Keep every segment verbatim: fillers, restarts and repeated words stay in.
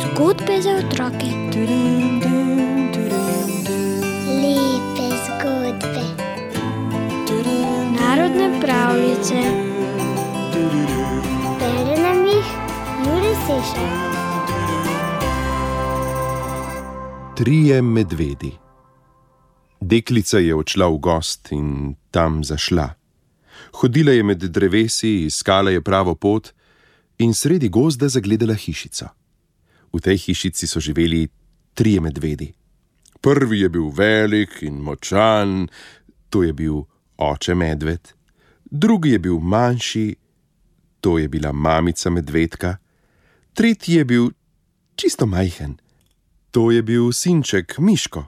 Zgodbe za otroke. Lepe zgodbe. Narodne pravljice. Bere nam jih Jure Sešar. Trije medvedi. Deklica je odšla v gost in tam zašla. Hodila je med drevesi, iskala je pravo pot in sredi gozda zagledala hišico. V tej hišici so živeli trije medvedi. Prvi je bil velik in močan, to je bil oče medved. Drugi je bil manjši, to je bila mamica medvedka. Tretji je bil čisto majhen, to je bil sinček Miško.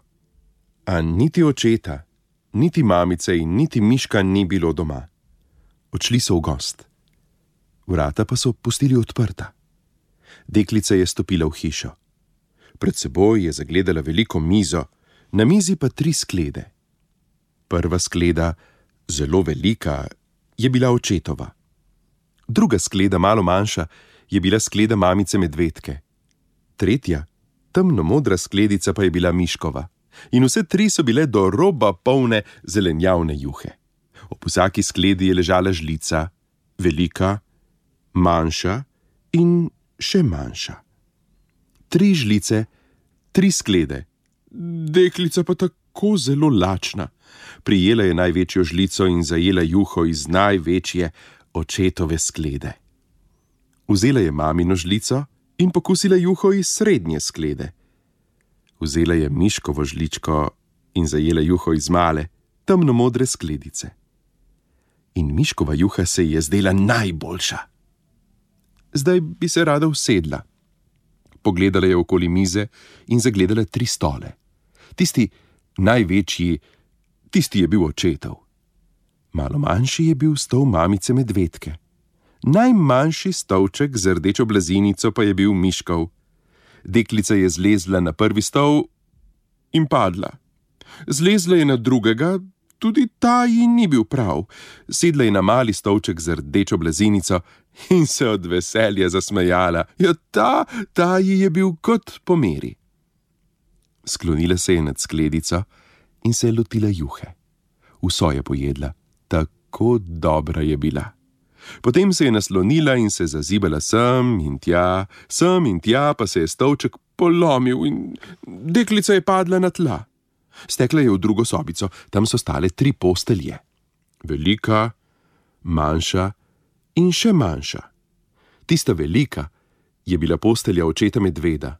A niti očeta, niti mamice in niti Miška ni bilo doma. Odšli so v gost. Vrata pa so pustili odprta. Deklica je stopila v hišo. Pred seboj je zagledala veliko mizo, na mizi pa tri sklede. Prva skleda, zelo velika, je bila očetova. Druga skleda, malo manjša, je bila skleda mamice medvedke. Tretja, temno modra skledica pa je bila Miškova. In vse tri so bile do roba polne zelenjavne juhe. Ob vsaki skledi je ležala žlica, velika, manjša in še manjša. Tri žlice, tri sklede. Deklica pa tako zelo lačna. Prijela je največjo žlico in zajela juho iz največje očetove sklede. Vzela je mamino žlico in pokusila juho iz srednje sklede. Vzela je Miškovo žličko in zajela juho iz male, temno modre skledice. In Miškova juha se ji je zdela najboljša. Zdaj bi se rada usedla. Pogledala je okoli mize in zagledala tri stole. Tisti največji, tisti je bil očetov. Malo manjši je bil stol mamice medvedke. Najmanjši stolček z rdečo blazinico pa je bil Miškov. Deklica je zlezla na prvi stol in padla. Zlezla je na drugega, tudi ta ji ni bil prav. Sedla je na mali stolček z rdečo blazinico in se od veselja zasmejala. Ja, ta, ta ji je bil kot po meri. Sklonila se je nad skledico in se je lotila juhe. Vso je pojedla, tako dobra je bila. Potem se je naslonila in se zazibala sem in tja, sem in tja, pa se je stolček polomil in deklica je padla na tla. Stekla je v drugo sobico, tam so stale tri postelje. Velika, manjša in še manjša. Tista velika je bila postelja očeta medveda.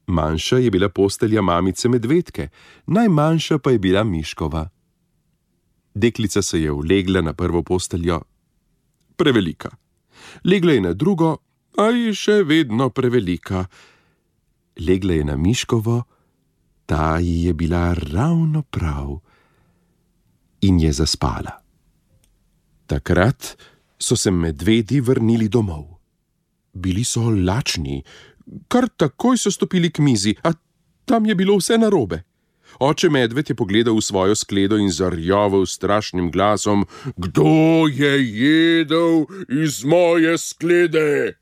Manjša je bila postelja mamice medvedke, najmanjša pa je bila Miškova. Deklica se je ulegla na prvo posteljo, prevelika. Legla je na drugo, a je še vedno prevelika. Legla je na Miškovo, ta ji je bila ravno prav in je zaspala. Takrat so se medvedi vrnili domov. Bili so lačni, kar takoj so stopili k mizi, a tam je bilo vse narobe. Oče medved je pogledal v svojo skledo in zarjoval strašnim glasom: "Kdo je jedel iz moje sklede?"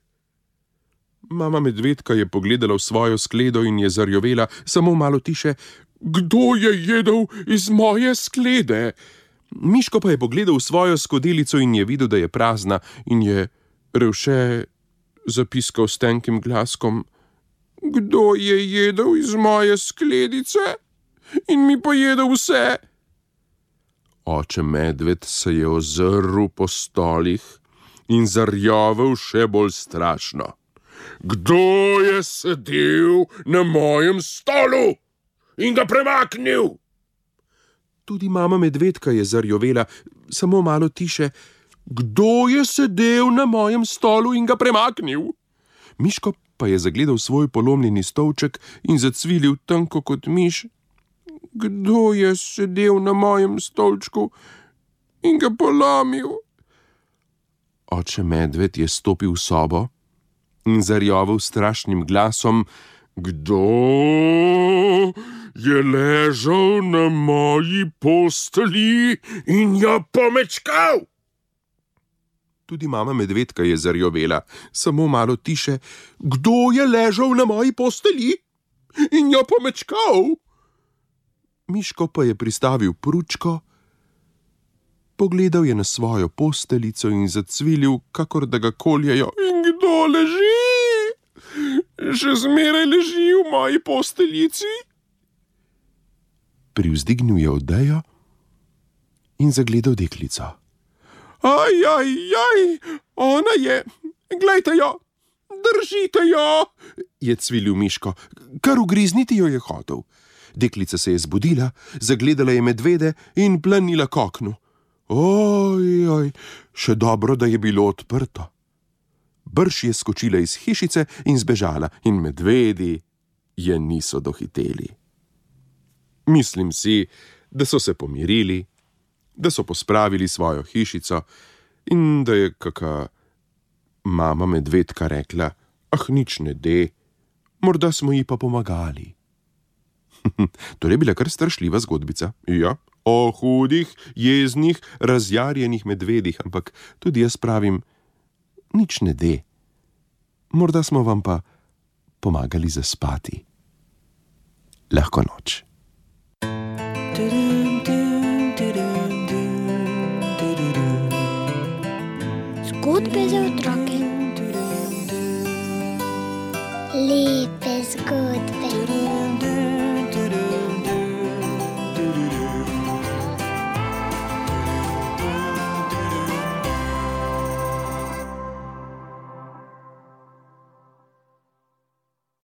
Mama medvedka je pogledala v svojo skledo in je zarjovela samo malo tiše: "Kdo je jedel iz moje sklede?" Miško pa je pogledal v svojo skodelico in je videl, da je prazna, in je revše zapiskal s tenkim glaskom: "Kdo je jedel iz moje skledice in mi pojedel vse?" Oče medved se je ozrl po stolih in zarjovel še bolj strašno: "Kdo je sedel na mojem stolu in ga premaknil?" Tudi mama medvedka je zarjovela samo malo tiše: "Kdo je sedel na mojem stolu in ga premaknil?" Miško pa je zagledal svoj polomljeni stolček in zacvilil tanko kot miš: "Kdo je sedel na mojem stolčku in ga polomil?" Oče medved je stopil v sobo in zarjoval strašnim glasom: "Kdo je ležal na moji postelji in jo pomečkal?" Tudi mama medvedka je zarjovela, samo malo tiše. Kdo je ležal na moji postelji in jo pomečkal? Miško pa je pristavil pručko, pogledal je na svojo posteljico in zacvilil, kakor da ga koljejo. In kdo leži? Še zmeraj leži v moji posteljici? Privzdignil je odejo in zagledal deklico. Aj, aj, aj, ona je, glejte jo, držite jo, je cvilil Miško, kar ugrizniti jo je hotel. Deklica se je zbudila, zagledala je medvede in planila k oknu. Oj, oj, še dobro, da je bilo odprto. Brž je skočila iz hišice in zbežala, in medvedi je niso dohiteli. Mislim si, da so se pomirili, da so pospravili svojo hišico in da je kaka mama medvedka rekla, ah, nič ne de, morda smo ji pa pomagali. To je bila kar strašljiva zgodbica, ja, o hudih, jeznih, razjarjenih medvedih, ampak tudi jaz pravim, nič ne de, morda smo vam pa pomagali zaspati. Lahko noč. Zgodbe za otroke.